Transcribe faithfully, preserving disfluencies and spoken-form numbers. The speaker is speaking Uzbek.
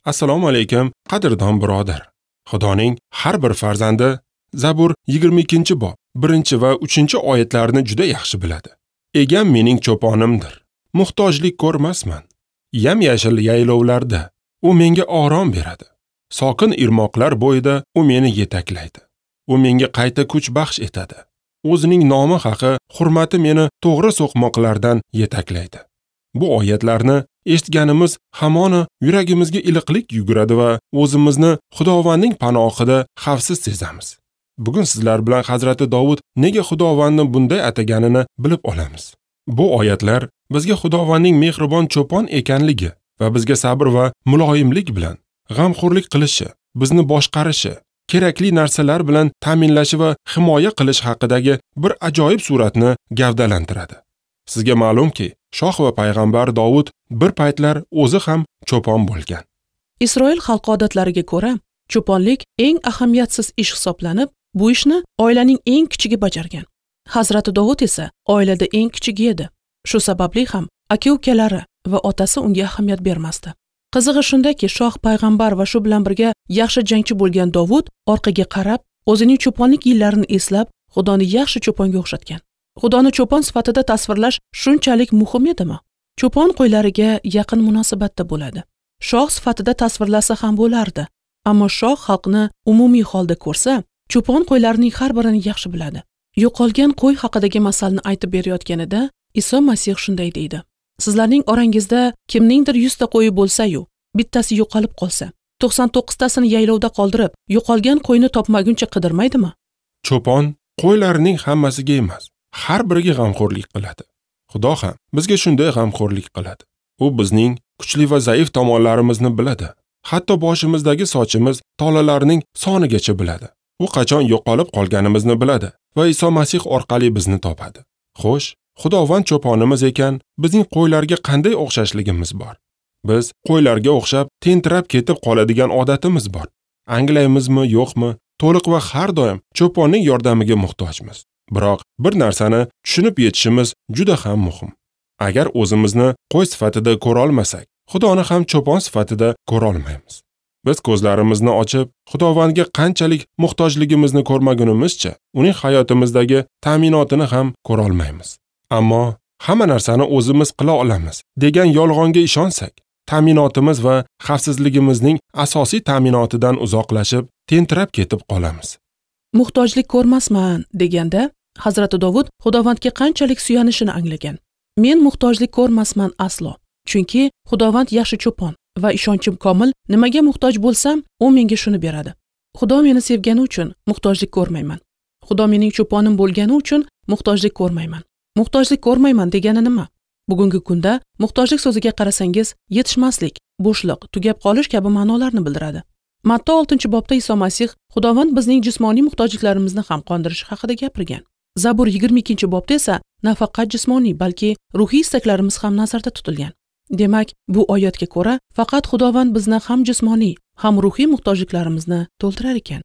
Assalomu alaykum, qadrdon birodar. Xudoning har bir farzandi Zabur yigirma ikkinchi bob birinchi va uchinchi oyatlarni juda yaxshi biladi. Egam mening cho'ponimdir. Muhtojlik ko'rmasman. Yam-yashil yaylovlarda u menga orom beradi. Sokin irmoqlar bo'yida u meni yetaklaydi. U menga qayta kuch baxsh etadi. O'zining nomi haqi hurmati meni to'g'ri so'qmoqlardan yetaklaydi. Bu oyatlarni eshitganimiz hamona yuragimizga iliqlik yuguradi va o'zimizni Xudovandning panohida xavfsiz sezamiz. Bugun sizlar bilan Hazrati Dovud nega Xudovandni bunday ataganini bilib olamiz. Bu oyatlar bizga Xudovandning mehribon cho'pon ekanligi va bizga sabr va muloyimlik bilan g'amxo'rlik qilishi, bizni boshqarishi, kerakli narsalar bilan ta'minlashi va himoya qilish haqidagi bir ajoyib suratni gavdalantiradi. Sizga ma'lumki, shoh va payg'ambar Dovud bir paytlar o'zi ham cho'pon bo'lgan. Isroil xalqi odatlariga ko'ra, cho'ponlik eng ahamiyatsiz ish hisoblanib, bu ishni oilaning eng kichigi bajargan. Hazrati Dovud esa oilada eng kichigi edi. Shu sababli ham aka-ukalari va otasi unga ahamiyat bermasdi. Qizig'i shundaki, shoh payg'ambar va shu bilan birga yaxshi jangchi bo'lgan Dovud orqaga qarab, o'zining cho'ponlik yillarini eslab, Xudoni yaxshi cho'ponga o'xshatgan. Xudoni cho'pon sifatida tasvirlash shunchalik muhim edimi? Cho'pon qo'ylariga yaqin munosabatda bo'ladi. Shoh sifatida tasvirlasa ham bo'lardi. Ammo shoh xalqni umumiy holda ko'rsa, cho'pon qo'ylarining har birini yaxshi biladi. Yo'qolgan qo'y haqidagi masalni aytib berayotganida Iso Masih shunday deydi: Sizlarning orangizda kimningdir yuzta qo'yi bo'lsa-yu, bittasi yo'qolib qolsa, to'qson to'qqiztasini yaylovda qoldirib, yo'qolgan qo'yni topmaguncha qidirmaydimi? Cho'pon qo'ylarining hammasiga emas, har biriga g'amxo'rlik qiladi. Xudo ham bizga shunday g'amxo'rlik qiladi. U bizning kuchli va zaif tomonlarimizni biladi. Hatto boshimizdagi sochimiz tolalarining sonigacha biladi. U qachon yo'qolib qolganimizni biladi va Iso Masih orqali bizni topadi. Xo'sh, Xudovand cho'ponimiz ekan, bizning qo'ylarga qanday o'xshashligimiz bor? Biz qo'ylarga o'xshab tentirab ketib qoladigan odatimiz bor. Anglaymizmi, yo'qmi, to'liq va har doim cho'ponning yordamiga muhtojmiz. Biroq bir narsani tushunib yetishimiz juda ham muhim. Agar o'zimizni qo'y sifatida ko'ra olmasak, Xudoni ham cho'pon sifatida ko'ra olmaymiz. Biz ko'zlarimizni ochib, Xudovandga qanchalik muhtojligimizni ko'rmagunimizcha, uning hayotimizdagi ta'minotini ham ko'ra olmaymiz. Ammo hamma narsani o'zimiz qila olamiz degan yolg'onga ishonsak, ta'minotimiz va xavfsizligimizning asosiy ta'minotidan uzoqlashib, tentirab ketib qolamiz. Muhtojlik ko'rmasman deganda Hazrati Dovud Xudovandga qanchalik suyanishini anglagan. Men muhtojlik ko'rmasman aslo, chunki Xudovand yaxshi cho'pon va ishonchim komil, nimaga muhtoj bo'lsam, u menga shuni beradi. Xudo meni sevgani uchun muhtojlik ko'rmayman. Xudo mening cho'ponim bo'lgani uchun muhtojlik ko'rmayman. Muhtojlik ko'rmayman degani nima? Bugungi kunda muhtojlik so'ziga qarasangiz, yetishmaslik, bo'shliq, tugab qolish kabi ma'nolarni bildiradi. Matta oltinchi bobda Iso Masih Xudovand bizning jismoniy muhtojliklarimizni ham qondirishi haqida gapirgan. Zabur yigirma ikkinchi bobda esa nafaqat jismoniy, balki ruhiy istaklarimiz ham nazarda tutilgan. Demak, bu oyatga ko'ra faqat Xudovand bizni ham jismoniy, ham ruhiy muhtojliklarimizni to'ldirar ekan.